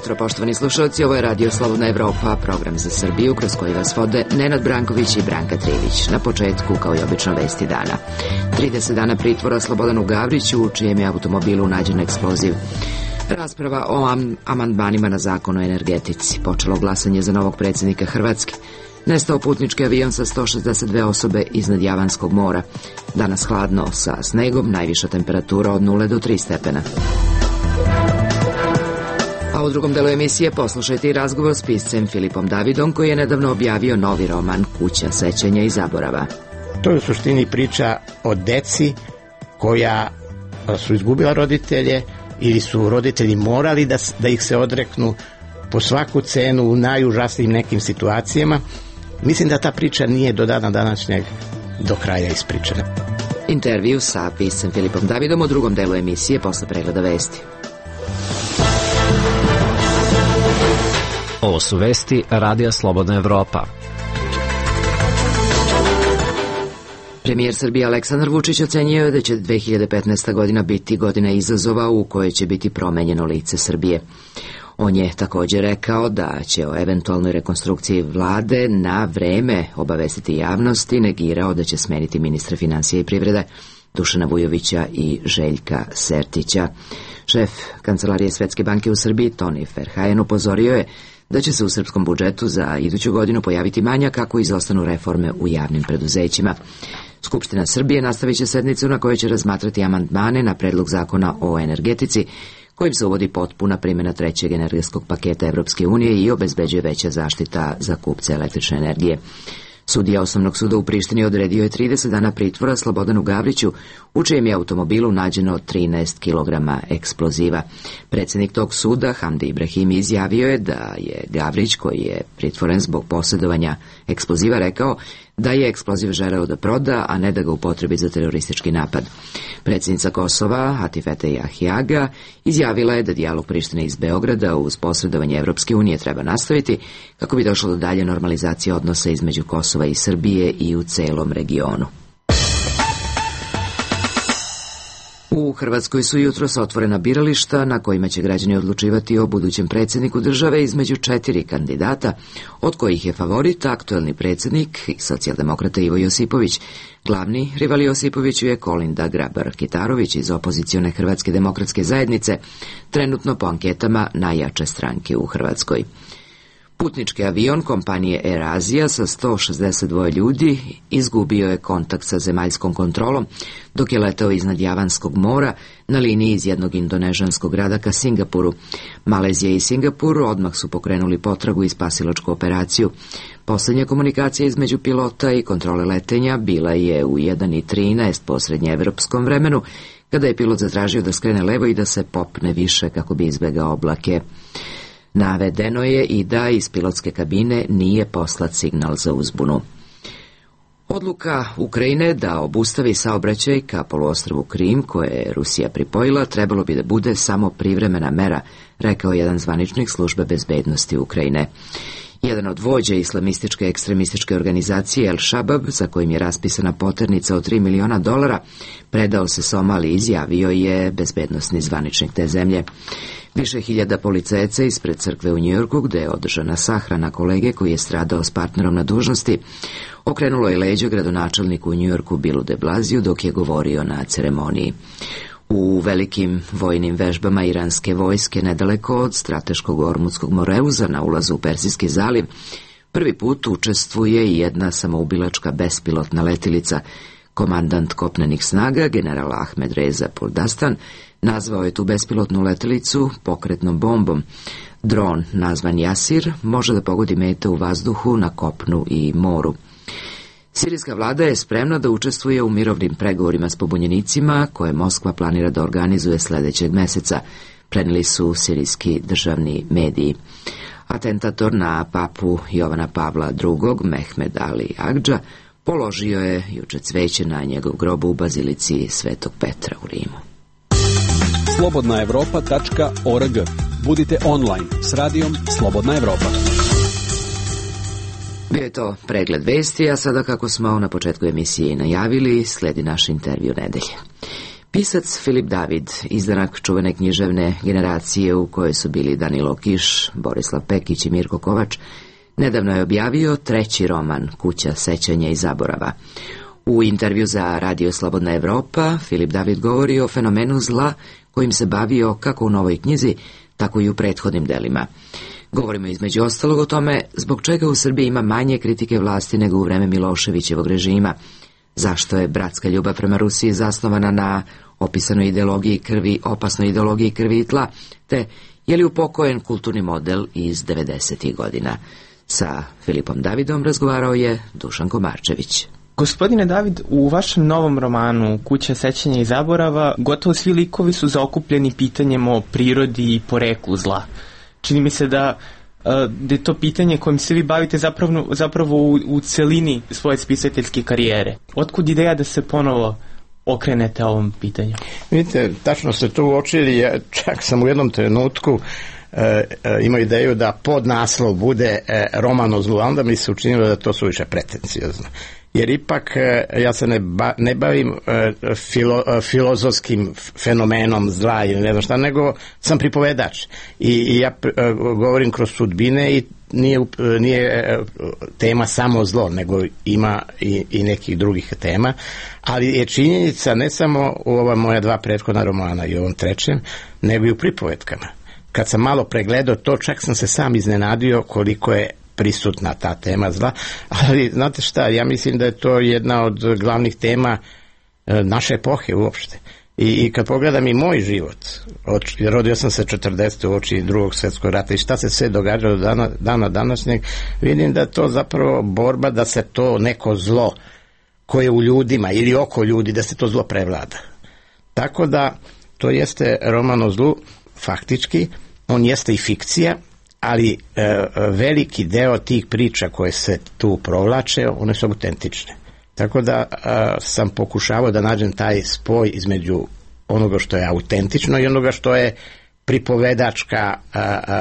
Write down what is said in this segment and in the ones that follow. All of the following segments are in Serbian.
jutro, poštovani slušalci, ovo je Radio Slobodna Evropa, program za Srbiju kroz koji vas vode Nenad Branković i Branka Trivić. Na početku, kao i obično, vesti dana. 30 dana pritvora Slobodanu Gavriću, u čijem je automobilu nađen eksploziv. Rasprava o amandmanima na zakon o energetici. Počelo glasanje za novog predsjednika Hrvatske. Nestao putnički avion sa 162 osobe iznad Javanskog mora. Danas hladno sa snegom, najviša temperatura od 0 do 3 stepena. A u drugom delu emisije poslušajte i razgovor s piscem Filipom Davidom, koji je nedavno objavio novi roman Kuća sećanja i zaborava. To je u suštini priča o deci koja su izgubila roditelje ili su roditelji morali da ih se odreknu po svaku cenu u najužasnijim nekim situacijama. Mislim da ta priča nije do dana današnjeg do kraja ispričana. Intervju sa piscem Filipom Davidom u drugom delu emisije posle pregleda vesti. Ovo su vesti Radija Slobodna Evropa. Premijer Srbije Aleksandar Vučić ocenjio je da će 2015. godina biti godina izazova u kojoj će biti promenjeno lice Srbije. On je također rekao da će o eventualnoj rekonstrukciji vlade na vreme obavestiti javnost i negirao da će smeniti ministra finansija i privrede Dušana Vujovića i Željka Sertića. Šef Kancelarije Svetske banke u Srbiji Toni Ferhajen upozorio je da će se u srpskom budžetu za iduću godinu pojaviti manjak kako izostanu reforme u javnim preduzećima. Skupština Srbije nastavit će sednicu na kojoj će razmatrati amandmane na predlog zakona o energetici, kojim se uvodi potpuna primjena trećeg energetskog paketa Evropske unije i obezbeđuje veća zaštita za kupce električne energije. Sudija Osnovnog suda u Prištini odredio je 30 dana pritvora Slobodanu Gavriću, u čijem je automobilu nađeno 13 kg eksploziva. Predsjednik tog suda, Hamdi Ibrahimi, izjavio je da je Gavrić, koji je pritvoren zbog posjedovanja eksploziva, rekao da je eksploziv želeo da proda, a ne da ga upotrebi za teroristički napad. Predsjednica Kosova, Atifete Jahjaga, izjavila je da dijalog Prištine iz Beograda uz posredovanje Evropske unije treba nastaviti kako bi došlo do dalje normalizacije odnosa između Kosova i Srbije i u celom regionu. U Hrvatskoj su jutros otvorena birališta na kojima će građani odlučivati o budućem predsjedniku države između 4 kandidata, od kojih je favorit aktuelni predsjednik i socijaldemokrata Ivo Josipović. Glavni rival Josipoviću je Kolinda Grabar-Kitarović iz opozicione Hrvatske demokratske zajednice, trenutno po anketama najjače stranke u Hrvatskoj. Putnički avion kompanije Air Asia sa 162 ljudi izgubio je kontakt sa zemaljskom kontrolom dok je letao iznad Javanskog mora na liniji iz jednog indonežanskog grada ka Singapuru. Malezija i Singapur odmah su pokrenuli potragu i spasilačku operaciju. Posljednja komunikacija između pilota i kontrole letenja bila je u 1:13 po srednjeevropskom vremenu, kada je pilot zatražio da skrene levo i da se popne više kako bi izbegao oblake. Navedeno je i da iz pilotske kabine nije poslat signal za uzbunu. Odluka Ukrajine da obustavi saobraćaj ka poluostrvu Krim, koje je Rusija pripojila, trebalo bi da bude samo privremena mera, rekao jedan zvaničnik službe bezbednosti Ukrajine. Jedan od vođa islamističke ekstremističke organizacije El Shabab, za kojim je raspisana poternica od $3 miliona, predao se Somaliji, izjavio je bezbednosni zvaničnik te zemlje. Više hiljada policajaca ispred crkve u Njujorku, gde je održana sahrana kolege koji je stradao s partnerom na dužnosti, okrenulo je leđa gradonačelniku u Njujorku Billu de Blasiju dok je govorio na ceremoniji. U velikim vojnim vežbama iranske vojske nedaleko od strateškog Ormutskog moreuza na ulazu u Persijski zaliv prvi put učestvuje i jedna samoubilačka bespilotna letilica. Komandant kopnenih snaga, general Ahmed Reza Puldastan, nazvao je tu bespilotnu letelicu pokretnom bombom. Dron, nazvan Jasir, može da pogodi mete u vazduhu, na kopnu i moru. Sirijska vlada je spremna da učestvuje u mirovnim pregovorima s pobunjenicima koje Moskva planira da organizuje sljedećeg meseca, prenijeli su sirijski državni mediji. Atentator na papu Jovana Pavla II, Mehmed Ali Agdža, položio je juče cveće na njegov grob u bazilici Svetog Petra u Rimu. slobodnaevropa.org. Budite online s radijom Slobodna Evropa. Bio je to pregled vesti, a sada, kako smo na početku emisije najavili, sledi naš intervju nedelje. Pisac Filip David, izdanak čuvene književne generacije u kojoj su bili Danilo Kiš, Borislav Pekić i Mirko Kovač, nedavno je objavio 3. roman Kuća sećanja i zaborava. U intervju za Radio Slobodna Evropa Filip David govori o fenomenu zla kojim se bavio kako u novoj knjizi, tako i u prethodnim delima. Govorimo između ostalog o tome zbog čega u Srbiji ima manje kritike vlasti nego u vreme Miloševićevog režima, zašto je bratska ljubav prema Rusiji zasnovana na opisanoj ideologiji krvi, opasnoj ideologiji krvi i tla, te je li upokojen kulturni model iz 90. godina. Sa Filipom Davidom razgovarao je Dušan Komarčević. Gospodine David, u vašem novom romanu Kuća sećanja i zaborava gotovo svi likovi su zaokupljeni pitanjem o prirodi i poreklu zla. Čini mi se da je to pitanje kojim se vi bavite zapravo u celini svoje spisateljske karijere. Otkud ideja da se ponovo okrenete ovom pitanju? Vidite, tačno ste to uočili, ja čak sam u jednom trenutku imao ideju da podnaslov bude roman o zlu, a onda mi se učinilo da to suviše pretenciozno. Jer ipak ja se ne bavim filozofskim fenomenom zla ili ne znam šta, nego sam pripovedač. I ja govorim kroz sudbine i nije tema samo zlo, nego ima i nekih drugih tema, ali je činjenica ne samo u ova moja 2 prethodna romana i ovom 3, nego i u pripovetkama. Kad sam malo pregledao to, čak sam se sam iznenadio koliko je prisutna ta tema zla, ali znate šta, ja mislim da je to jedna od glavnih tema naše epohe uopšte. I kad pogledam i moj život, rodio sam se 40. u oči Drugog svjetskog rata i šta se sve događalo do dana današnjeg, vidim da je to zapravo borba da se to neko zlo koje je u ljudima ili oko ljudi, da se to zlo prevlada. Tako da to jeste roman o zlu, faktički, on jeste i fikcija, ali veliki deo tih priča koje se tu provlače, one su autentične. Tako da sam pokušavao da nađem taj spoj između onoga što je autentično i onoga što je pripovedačka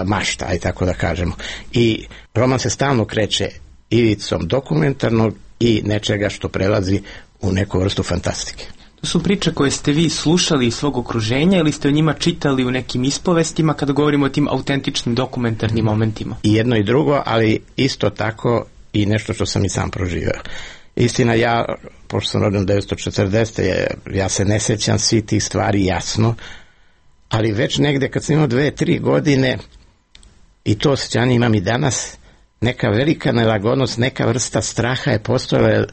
mašta, aj tako da kažemo. I roman se stalno kreće ivicom dokumentarnog i nečega što prelazi u neku vrstu fantastike. To su priče koje ste vi slušali iz svog okruženja ili ste o njima čitali u nekim ispovestima kada govorimo o tim autentičnim dokumentarnim momentima? I jedno i drugo, ali isto tako i nešto što sam i sam proživio. Istina, ja, pošto sam rođen 1940. ja se ne sjećam svi tih stvari jasno, ali već negde kad sam imao 2-3 godine, i to osjećanje imam i danas, neka velika nelagodnost, neka vrsta straha je postojala.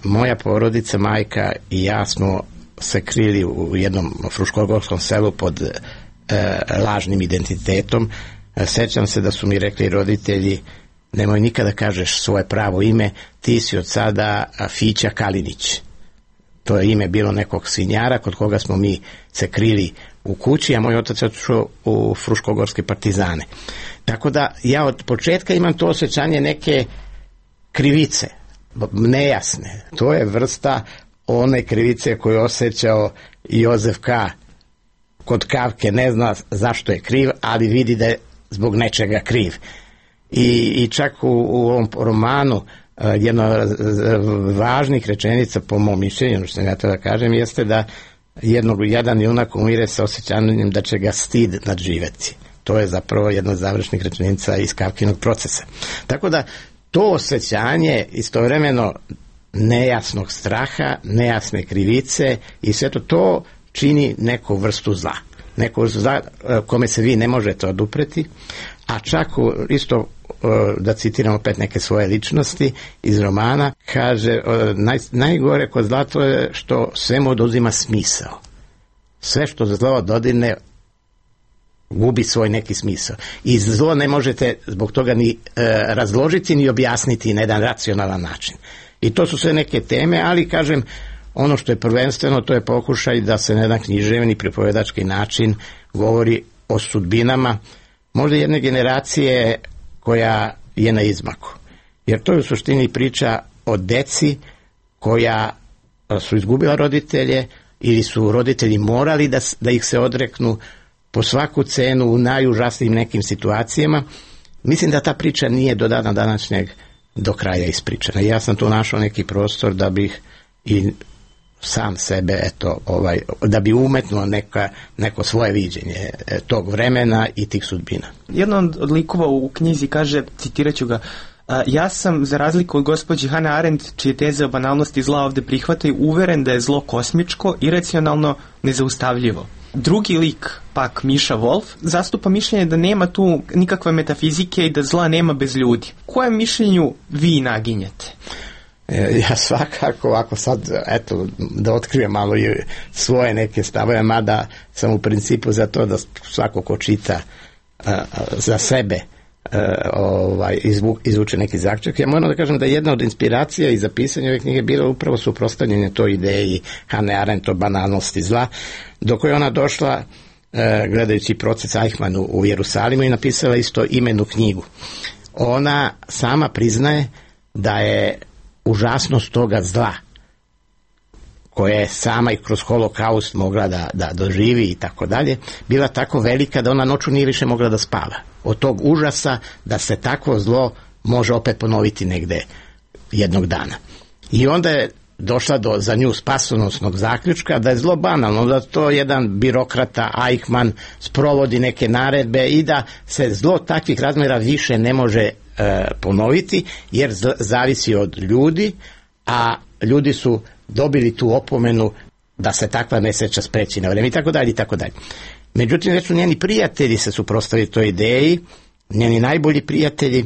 Moja porodica, majka i ja smo se krili u jednom fruškogorskom selu pod lažnim identitetom. Sećam se da su mi rekli roditelji: nemoj nikada kažeš svoje pravo ime, ti si od sada Fića Kalinić. To je ime bilo nekog svinjara kod koga smo mi se krili u kući, a moj otac je otišao u fruškogorske partizane. Tako da ja od početka imam to osjećanje neke krivice, nejasne. To je vrsta one krivice koju je osjećao Jozef K. kod Kafke, ne zna zašto je kriv, ali vidi da je zbog nečega kriv. I čak u ovom romanu jedna od važnih rečenica, po mom mišljenju, što ja to da kažem, jeste da jedan junak umire sa osjećanjem da će ga stid nadživeti. To je zapravo jedna od završnih rečenica iz Kafkinog procesa. Tako da to osjećanje istovremeno nejasnog straha, nejasne krivice i sve to čini neku vrstu zla. Neku vrstu zla kome se vi ne možete odupreti, a čak isto, da citiram opet neke svoje ličnosti iz romana, kaže, najgore kod zla to je što svemu oduzima smisao. Sve što zlo dodirne gubi svoj neki smisao. I zlo ne možete zbog toga ni razložiti ni objasniti na jedan racionalan način. I to su sve neke teme, ali kažem, ono što je prvenstveno, to je pokušaj da se na jedan književni pripovedački način govori o sudbinama možda jedne generacije koja je na izmaku. Jer to je u suštini priča o deci koja su izgubila roditelje ili su roditelji morali da ih se odreknu po svaku cenu u najužasnijim nekim situacijama. Mislim da ta priča nije do dana današnjeg do kraja ispričana. Ja sam tu našao neki prostor da bih i sam sebe, eto, da bi umetnuo neko svoje viđenje tog vremena i tih sudbina. Jedan od likova u knjizi kaže, citiraću ga, ja sam, za razliku od gospođe Hannah Arendt, čije teze o banalnosti zla ovde prihvataju, uveren da je zlo kosmičko, iracionalno, nezaustavljivo. Drugi lik, pak Miša Wolf, zastupa mišljenje da nema tu nikakve metafizike i da zla nema bez ljudi. Kojem mišljenju vi naginjete? Ja svakako, ako sad, eto, da otkrijem malo i svoje neke stavove, mada sam u principu za to da svako ko čita za sebe izvuče neki zaključak. Ja moram da kažem da jedna od inspiracija i za pisanje ove knjige bila upravo suprotstavljanje toj ideji Hannah Arendt o banalnosti zla, do koje ona došla gledajući proces Eichmann u Jerusalimu i napisala isto imenu knjigu. Ona sama priznaje da je užasnost toga zla koja je sama i kroz holokaust mogla da doživi i tako dalje, bila tako velika da ona noću nije više mogla da spava. Od tog užasa da se takvo zlo može opet ponoviti negde jednog dana. I onda je došla do za nju spasonosnog zaključka da je zlo banalno, da to jedan birokrata Eichmann sprovodi neke naredbe i da se zlo takvih razmjera više ne može ponoviti jer zavisi od ljudi, a ljudi su dobili tu opomenu da se takva nesreća spreči na vreme i tako dalje i tako dalje. Međutim, već su njeni prijatelji se suprotstavili toj ideji, njeni najbolji prijatelji,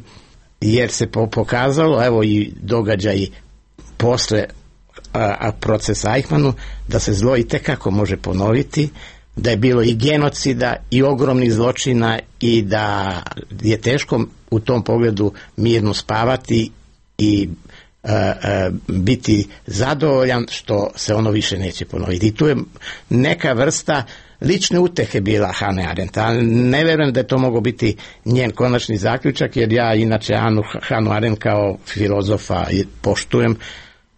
jer se pokazalo, evo i događaji posle procesa Eichmannu, da se zlo itekako može ponoviti, da je bilo i genocida i ogromnih zločina i da je teško u tom pogledu mirno spavati i biti zadovoljan što se ono više neće ponoviti. I tu je neka vrsta lične utehe bila Hannah Arendt, a ne verujem da je to mogao biti njen konačni zaključak, jer ja inače Hannah Arendt kao filozofa poštujem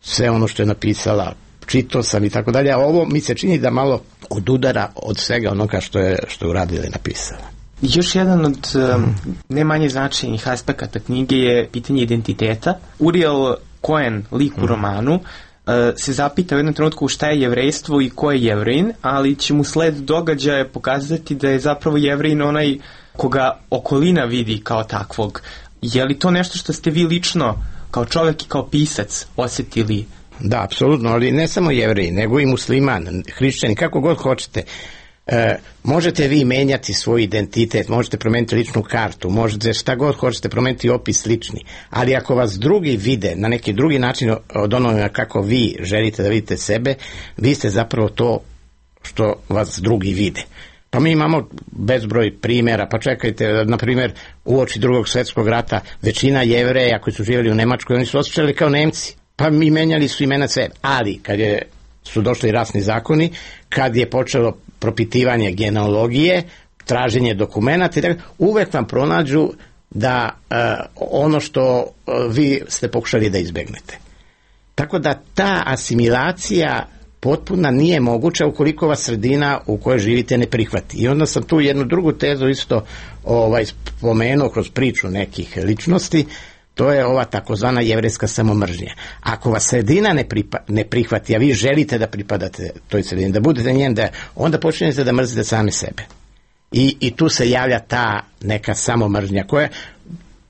sve ono što je napisala, čitao sam i tako dalje, a ovo mi se čini da malo odudara od svega onoga što je uradila i napisala. Još jedan od ne manje značajnih aspekata knjige je pitanje identiteta. Uriel Cohen, lik u romanu, se zapita u jednom trenutku šta je jevrejstvo i ko je Jevrejin, ali će mu sled događaja pokazati da je zapravo Jevrejin onaj koga okolina vidi kao takvog. Je li to nešto što ste vi lično kao čovjek i kao pisac osjetili? Da, apsolutno, ali ne samo Jevreji, nego i musliman, hrišćani, kako god hoćete. Možete vi menjati svoj identitet, možete promeniti ličnu kartu, možete šta god hoćete promeniti opis lični, ali ako vas drugi vide na neki drugi način od onoga kako vi želite da vidite sebe, vi ste zapravo to što vas drugi vide. Pa mi imamo bezbroj primjera, pa čekajte, na primjer, uoči Drugog svjetskog rata većina Jevreja koji su živjeli u Nemačkoj, oni su osjećali kao Nemci, pa mi menjali su imena sve, ali kad su došli rasni zakoni, kad je počelo propitivanje genealogije, traženje dokumenata, uvek vam pronađu da ono što vi ste pokušali da izbegnete. Tako da ta asimilacija potpuna nije moguća ukoliko vas sredina u kojoj živite ne prihvati. I onda sam tu jednu drugu tezu isto spomenuo kroz priču nekih ličnosti, to je ova takozvana jevrejska samomržnja. Ako vas sredina ne prihvati, a vi želite da pripadate toj sredini, da budete njen, onda počinjete da mrzite same sebe. I tu se javlja ta neka samomržnja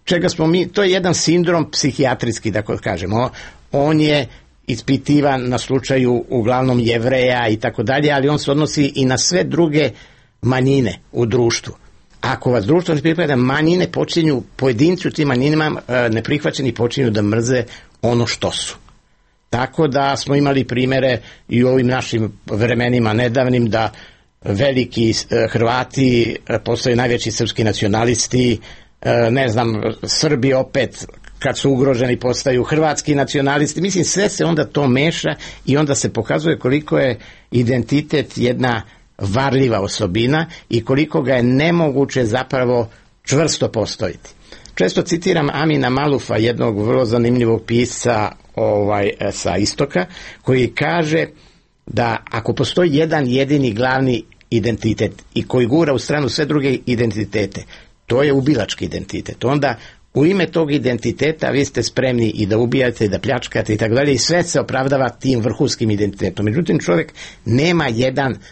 čega smo mi, to je jedan sindrom psihijatrijski, da kažemo. On je ispitivan na slučaju uglavnom Jevreja i tako dalje, ali on se odnosi i na sve druge manjine u društvu. Ako vas društvo ne pripada, manjine počinju, pojedinci u tim manjinama neprihvaćeni počinju da mrze ono što su. Tako da smo imali primere i u ovim našim vremenima nedavnim da veliki Hrvati postaju najveći srpski nacionalisti, Srbi opet kad su ugroženi postaju hrvatski nacionalisti. Mislim, sve se onda to meša i onda se pokazuje koliko je identitet jedna varljiva osobina i koliko ga je nemoguće zapravo čvrsto postojiti. Često citiram Amina Malufa, jednog vrlo zanimljivog pisca sa istoka, koji kaže da ako postoji jedan jedini glavni identitet i koji gura u stranu sve druge identitete, to je ubilački identitet. Onda u ime tog identiteta vi ste spremni i da ubijate i da pljačkate i tako dalje i sve se opravdava tim vrhunskim identitetom. Međutim, čovjek nema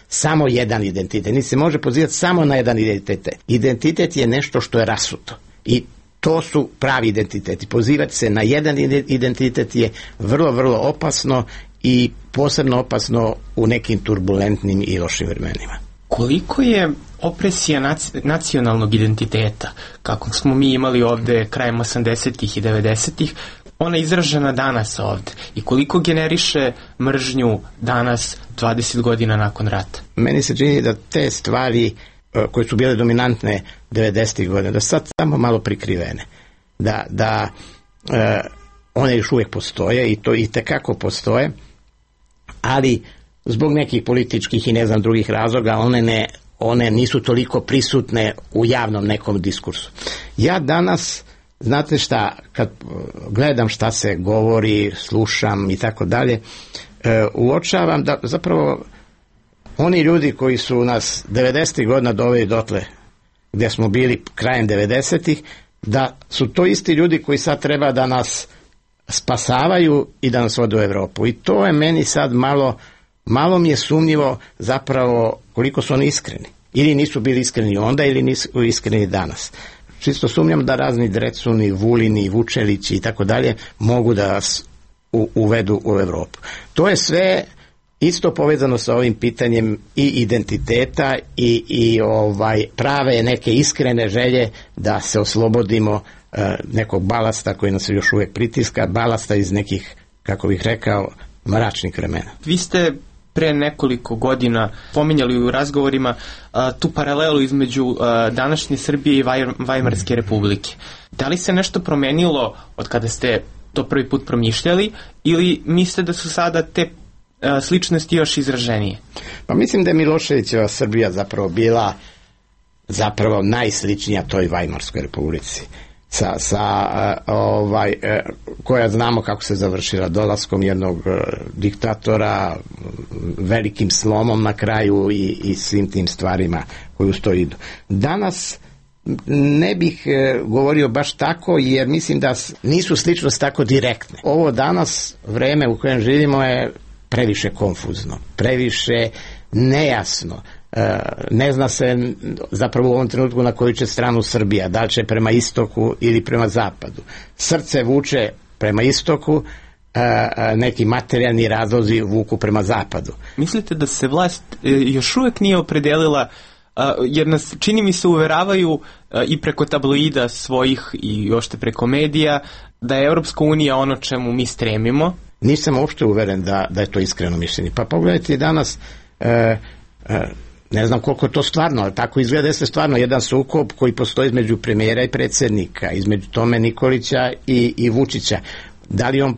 samo jedan identitet, niti se može pozivati samo na jedan identitet. Identitet je nešto što je rasuto i to su pravi identiteti. Pozivati se na jedan identitet je vrlo, vrlo opasno i posebno opasno u nekim turbulentnim i lošim vremenima. Koliko je opresija nacionalnog identiteta, kako smo mi imali ovde krajem 80-ih i 90-ih, ona je izražena danas ovde i koliko generiše mržnju danas 20 godina nakon rata? Meni se čini da te stvari koje su bile dominantne 90-ih godina, da sad samo malo prikrivene, da one još uvijek postoje i to i tekako postoje, ali zbog nekih političkih i ne znam drugih razloga one nisu toliko prisutne u javnom nekom diskursu. Ja danas, znate šta, kad gledam šta se govori, slušam i tako dalje, uočavam da zapravo oni ljudi koji su nas 90. godina doveli dotle gdje smo bili krajem 90-ih, da su to isti ljudi koji sad treba da nas spasavaju i da nas vode u Europu. I to je meni sad malo mi je sumnjivo zapravo koliko su oni iskreni. Ili nisu bili iskreni onda ili nisu iskreni danas. Čisto sumnjam da razni Drecuni, Vulini, Vučelići i tako dalje mogu da nas uvedu u Europu. To je sve isto povezano sa ovim pitanjem i identiteta i prave neke iskrene želje da se oslobodimo nekog balasta koji nas još uvijek pritiska, balasta iz nekih, kako bih rekao, mračnih vremena. Vi ste pre nekoliko godina pominjali u razgovorima tu paralelu između današnje Srbije i Vajmarske republike. Da li se nešto promenilo od kada ste to prvi put promišljali ili mislite da su sada te sličnosti još izraženije? Pa mislim da je Miloševićeva Srbija zapravo bila najsličnija toj Vajmarskoj republici. Koja znamo kako se završila dolaskom jednog diktatora, velikim slomom na kraju i svim tim stvarima koji uz to idu. Danas ne bih govorio baš tako jer mislim da nisu sličnosti tako direktne. Ovo danas vreme u kojem živimo je previše konfuzno, previše nejasno. Ne zna se zapravo u ovom trenutku na koju će stranu Srbija, da li će prema istoku ili prema zapadu. Srce vuče prema istoku, neki materijalni razlozi vuku prema zapadu. Mislite da se vlast još uvijek nije opredelila, jer nas, čini mi se, uveravaju i preko tabloida svojih i ošte preko medija, da je Europska unija ono čemu mi stremimo? Nisam uopšte uveren da je to iskreno mišljenje. Pa pogledajte danas, ne znam koliko to stvarno, ali tako izgleda jeste stvarno jedan sukob koji postoji između premijera i predsjednika, između Tome Nikolića i Vučića. Da li on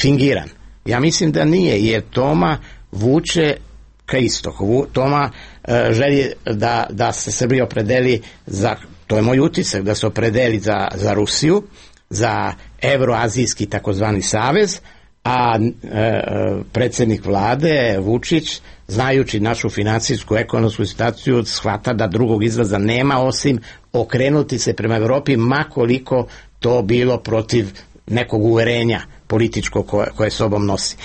fingiran? Ja mislim da nije, jer Toma vuče ka istoku. Toma želi da se Srbija opredeli za, to je moj utisak, da se opredeli za Rusiju, za Evroazijski takozvani savez, a predsjednik vlade Vučić, znajući našu financijsku ekonomsku situaciju, shvata da drugog izlaza nema osim okrenuti se prema Europi, ma koliko to bilo protiv nekog uverenja političkog koje sobom nosi.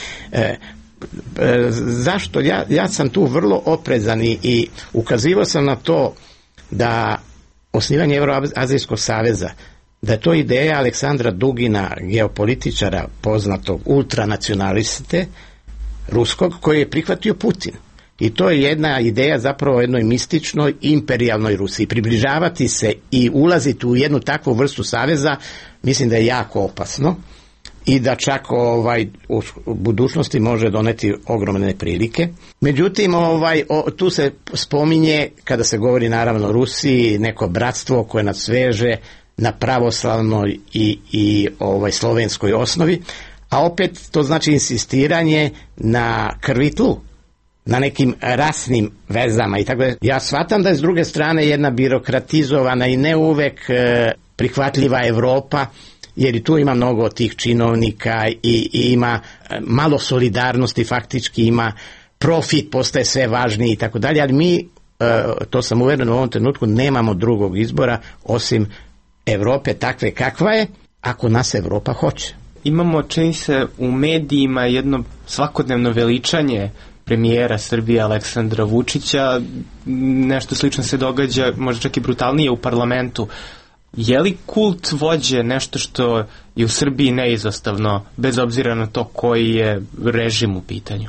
Zašto? Ja sam tu vrlo oprezan i ukazivao sam na to da osnivanje Evroazijskog saveza, da je to ideja Aleksandra Dugina, geopolitičara poznatog ultranacionaliste ruskog, koji je prihvatio Putin. I to je jedna ideja zapravo o jednoj mističnoj imperijalnoj Rusiji. Približavati se i ulaziti u jednu takvu vrstu saveza mislim da je jako opasno i da čak u budućnosti može doneti ogromne prilike. Međutim, tu se spominje, kada se govori naravno o Rusiji, neko bratstvo koje nas sveže na pravoslavnoj i slovenskoj osnovi, a opet to znači insistiranje na krvi tlu, na nekim rasnim vezama i tako da. Ja shvatam da je s druge strane jedna birokratizovana i ne uvek prihvatljiva Evropa, jer i tu ima mnogo tih činovnika i ima malo solidarnosti, faktički ima profit, postaje sve važniji i tako dalje, ali mi, to sam uveren u ovom trenutku, nemamo drugog izbora osim Evrope takve kakva je, ako nas Evropa hoće. Imamo, čini se, u medijima jedno svakodnevno veličanje premijera Srbije Aleksandra Vučića. Nešto slično se događa, možda čak i brutalnije u parlamentu. Je li kult vođe nešto što je u Srbiji neizostavno, bez obzira na to koji je režim u pitanju?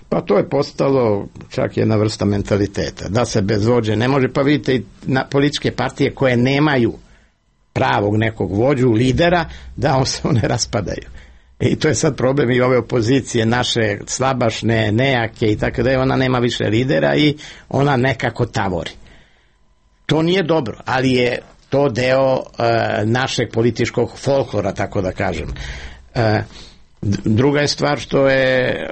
Pa to je postalo čak jedna vrsta mentaliteta, da se bez vođe ne može. Pa vidite i na političke partije koje nemaju pravog nekog vođu, lidera, da se one raspadaju. I to je sad problem i ove opozicije naše slabašne, nejake i tako da je, ona nema više lidera i ona nekako tavori. To nije dobro, ali je to deo našeg političkog folklora, tako da kažem. Druga je stvar što je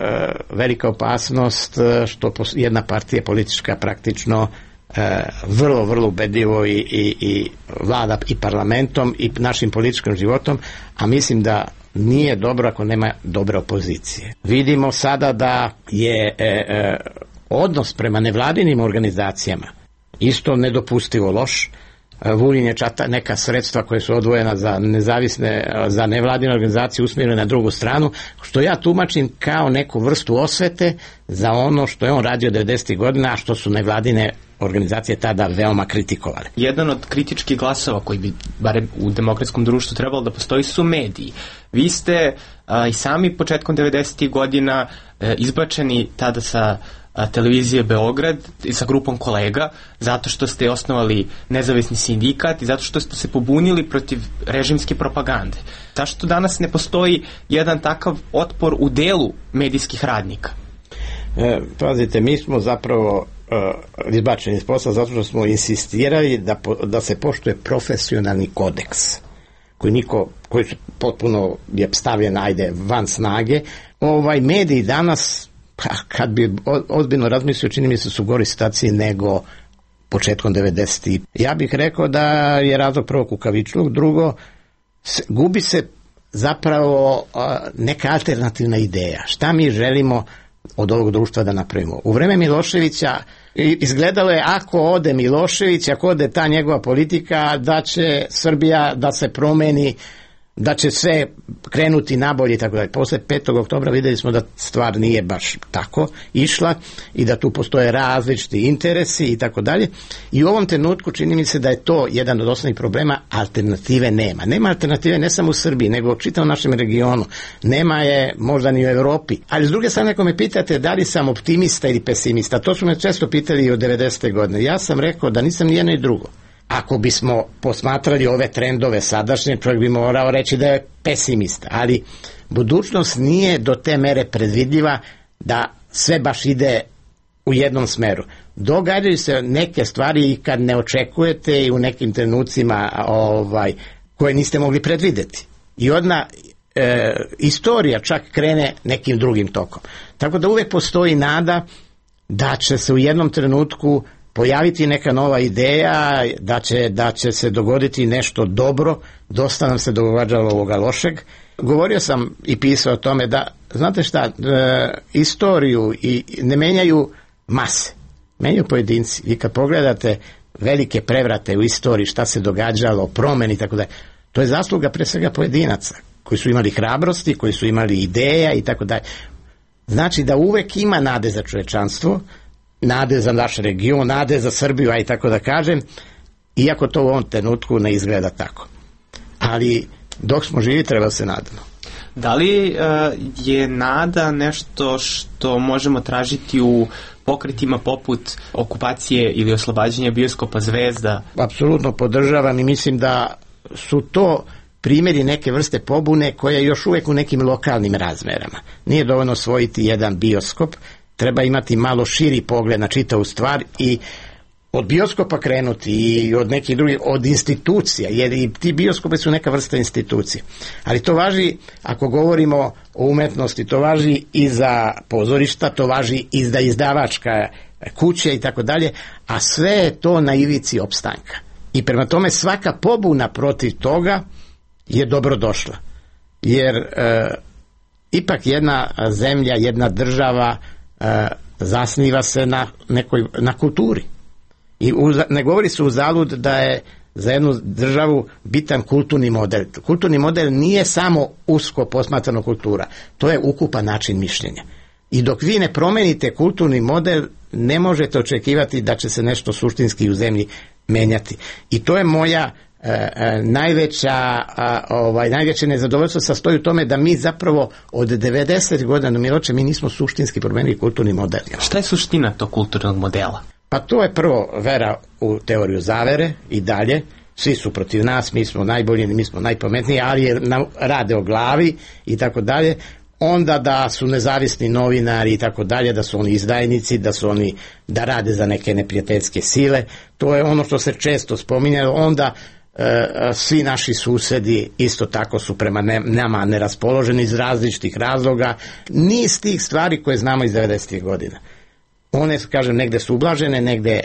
velika opasnost što jedna partija politička praktično vrlo, vrlo ubedljivo i vlada i parlamentom i našim političkim životom, a mislim da nije dobro ako nema dobre opozicije. Vidimo sada da je odnos prema nevladinim organizacijama isto nedopustivo loš. Vulin je čata neka sredstva koje su odvojena za nezavisne, za nevladine organizacije usmjerene na drugu stranu, što ja tumačim kao neku vrstu osvete za ono što je on radio 90. godina, a što su nevladine organizacije tada veoma kritikovale. Jedan od kritičkih glasova koji bi, barem u demokratskom društvu, trebalo da postoji su mediji. Vi ste i sami početkom 90. godina izbačeni tada sa televizije Beograd sa grupom kolega zato što ste osnovali nezavisni sindikat i zato što ste se pobunili protiv režimske propagande. Zašto danas ne postoji jedan takav otpor u delu medijskih radnika? Pazite, mi smo zapravo izbačeni iz posla zato što smo insistirali da se poštuje profesionalni kodeks koji potpuno je stavljen van snage. Mediji danas, kad bi ozbiljno razmislio, čini mi se su gori situaciji nego početkom 90. Ja bih rekao da je razlog prvo kukavičluk, drugo gubi se zapravo neka alternativna ideja. Šta mi želimo od ovog društva da napravimo? U vreme Miloševića izgledalo je ako ode Milošević, ako ode ta njegova politika, da će Srbija da se promeni, da će sve krenuti nabolje i tako dalje. Posle 5. oktobra videli smo da stvar nije baš tako išla i da tu postoje različiti interesi i tako dalje. I u ovom trenutku čini mi se da je to jedan od osnovnih problema, alternative nema. Nema alternative ne samo u Srbiji, nego u čitavom našem regionu. Nema je možda ni u Evropi. Ali s druge strane, ako me pitate da li sam optimista ili pesimista, to su me često pitali i od 90. godine. Ja sam rekao da nisam ni jedno i drugo. Ako bismo posmatrali ove trendove sadašnje, čovjek bi morao reći da je pesimista, ali budućnost nije do te mere predvidljiva da sve baš ide u jednom smeru. Događaju se neke stvari i kad ne očekujete i u nekim trenucima koje niste mogli predvideti. I odmah istorija čak krene nekim drugim tokom. Tako da uvek postoji nada da će se u jednom trenutku pojaviti neka nova ideja, da će se dogoditi nešto dobro. Dosta nam se događalo ovoga lošeg. Govorio sam i pisao o tome da, znate šta, istoriju ne menjaju mase, menjaju pojedinci. I kad pogledate velike prevrate u istoriji, šta se događalo, promeni i tako dalje, to je zasluga pre svega pojedinaca koji su imali hrabrosti, koji su imali ideja i tako dalje. Znači da uvek ima nade za čovečanstvo, nade za naš region, nade za Srbiju, a i tako da kažem, iako to u ovom trenutku ne izgleda tako. Ali dok smo živi treba se nadamo. Da li je nada nešto što možemo tražiti u pokretima poput okupacije ili oslobađanja bioskopa Zvezda? Apsolutno podržavam i mislim da su to primjeri neke vrste pobune koja je još uvek u nekim lokalnim razmerama. Nije dovoljno osvojiti jedan bioskop, treba imati malo širi pogled na čitavu stvar i od bioskopa krenuti i od nekih drugih, od institucija, jer i ti bioskopi su neka vrsta institucije. Ali to važi, ako govorimo o umetnosti, to važi i za pozorišta, to važi i za izdavačka kuće i tako dalje, a sve je to na ivici opstanka. I prema tome svaka pobuna protiv toga je dobrodošla. Jer ipak jedna zemlja, jedna država zasniva se na kulturi. I ne govori se uzalud da je za jednu državu bitan kulturni model. Kulturni model nije samo usko posmatrana kultura, to je ukupan način mišljenja. I dok vi ne promenite kulturni model, ne možete očekivati da će se nešto suštinski u zemlji menjati. I to je moja najveće nezadovoljstvo sastoji u tome da mi zapravo od 90 godina Miloče, mi nismo suštinski promenili kulturni model. Šta je suština tog kulturnog modela? Pa to je prvo vera u teoriju zavere i dalje. Svi su protiv nas, mi smo najbolji, mi smo najpametniji, ali rade o glavi i tako dalje. Onda da su nezavisni novinari i tako dalje, da su oni izdajnici, da rade za neke neprijateljske sile. To je ono što se često spominjalo. Onda svi naši susedi isto tako su prema nama neraspoloženi iz različitih razloga. Niz tih stvari koje znamo iz 90. godina. One, kažem, negde su ublažene, negde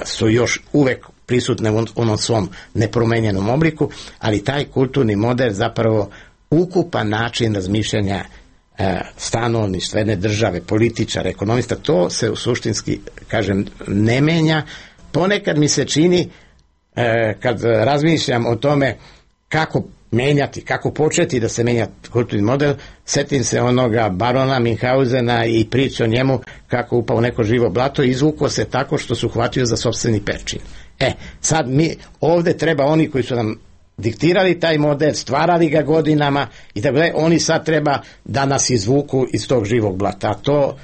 su još uvek prisutne u onom svom nepromenjenom obliku, ali taj kulturni model zapravo ukupan način razmišljanja stanovništva jedne države, političara, ekonomista, to se u suštinski, kažem, ne menja. Ponekad mi se čini, kad razmišljam o tome kako menjati, kako početi da se menja kulturni model, setim se onoga barona Minhausena i priče o njemu kako upao neko živo blato i izvukao se tako što su hvatio za sopstveni perčin. Sad mi ovde treba oni koji su nam diktirali taj model, stvarali ga godinama i tako dalje, oni sad treba da nas izvuku iz tog živog blata. To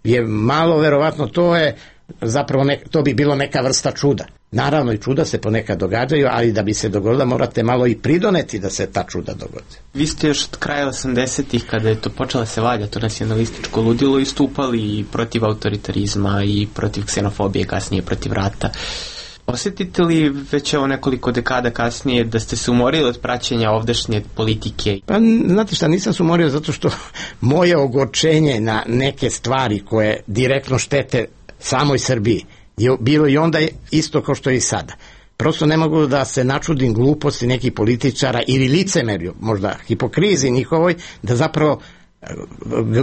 je malo verovatno, to je zapravo to bi bilo neka vrsta čuda. Naravno i čuda se ponekad događaju, ali da bi se dogodila morate malo i pridoneti da se ta čuda dogodi. Vi ste još od kraja 80-ih, kada je to počela se valja, to nacionalističko ludilo, istupali i protiv autoritarizma i protiv ksenofobije, kasnije protiv rata. Osjetite li već evo nekoliko dekada kasnije da ste se umorili od praćenja ovdašnje politike? Pa znate šta, nisam se umorio zato što moje ogorčenje na neke stvari koje direktno štete samoj Srbiji je bilo i onda isto kao što je i sada. Prosto ne mogu da se načudim gluposti nekih političara ili licemerju, možda hipokrizi njihovoj, da zapravo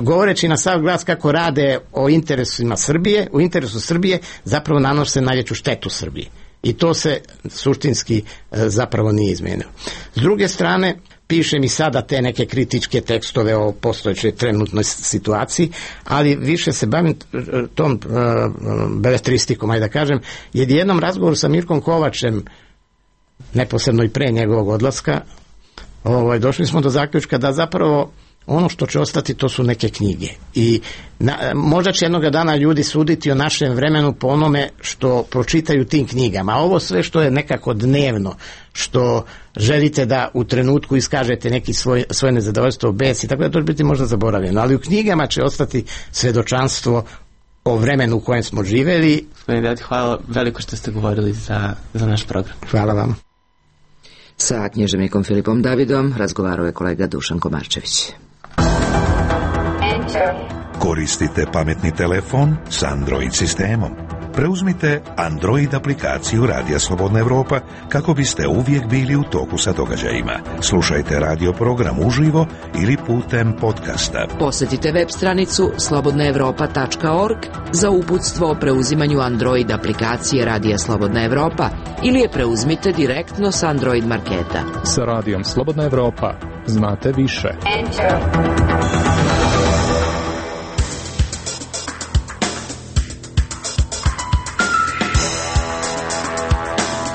govoreći na sav glas kako rade o interesima Srbije, u interesu Srbije zapravo nanose najveću štetu Srbiji. I to se suštinski zapravo nije izmenilo. S druge strane, pišem i sada te neke kritičke tekstove o postojećoj trenutnoj situaciji, ali više se bavim tom beletristikom, ajde da kažem, jer jednom razgovoru sa Mirkom Kovačem, neposredno i pre njegovog odlaska, došli smo do zaključka da zapravo ono što će ostati to su neke knjige i možda će jednog dana ljudi suditi o našem vremenu po onome što pročitaju tim knjigama, a ovo sve što je nekako dnevno, što želite da u trenutku iskažete neki svoje nezadovoljstvo, bes i tako da to će biti možda zaboravljeno, ali u knjigama će ostati svedočanstvo o vremenu u kojem smo živeli. Gospodine Dati, hvala veliko što ste govorili za naš program. Hvala vam. Sa književnikom Filipom Davidom razgovarao je kolega Dušan Komarčević. Koristite pametni telefon s Android sistemom. Preuzmite Android aplikaciju Radija Slobodna Evropa kako biste uvijek bili u toku sa događajima. Slušajte radio program uživo ili putem podcasta. Posjetite web stranicu slobodnaevropa.org za uputstvo o preuzimanju Android aplikacije Radija Slobodna Evropa ili je preuzmite direktno s Android marketa. Sa Radijom Slobodna Evropa znate više.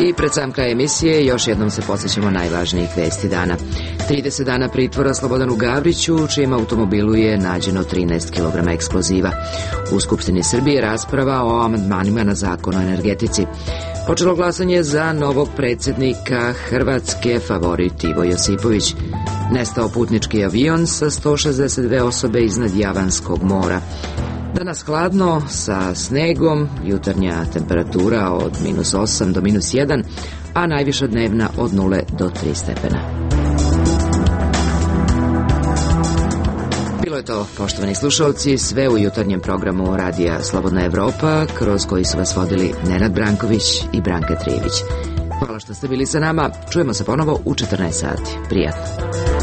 I pred sam kraj emisije još jednom se podsjećamo najvažnijih vesti dana. 30 dana pritvora Slobodanu Gavriću, u čijem automobilu je nađeno 13 kg eksploziva. U Skupštini Srbije rasprava o amandmanima na zakon o energetici. Počelo glasanje za novog predsjednika Hrvatske, favorit Ivo Josipović. Nestao putnički avion sa 162 osobe iznad Javanskog mora. Danas hladno sa snegom, jutarnja temperatura od -8 do -1, a najviša dnevna od 0 do 3 stepena. Bilo je to, poštovani slušalci, sve u jutarnjem programu Radija Slobodna Evropa, kroz koji su vas vodili Nenad Branković i Branka Trijević. Hvala što ste bili sa nama, čujemo se ponovo u 14 sati. Prijatno.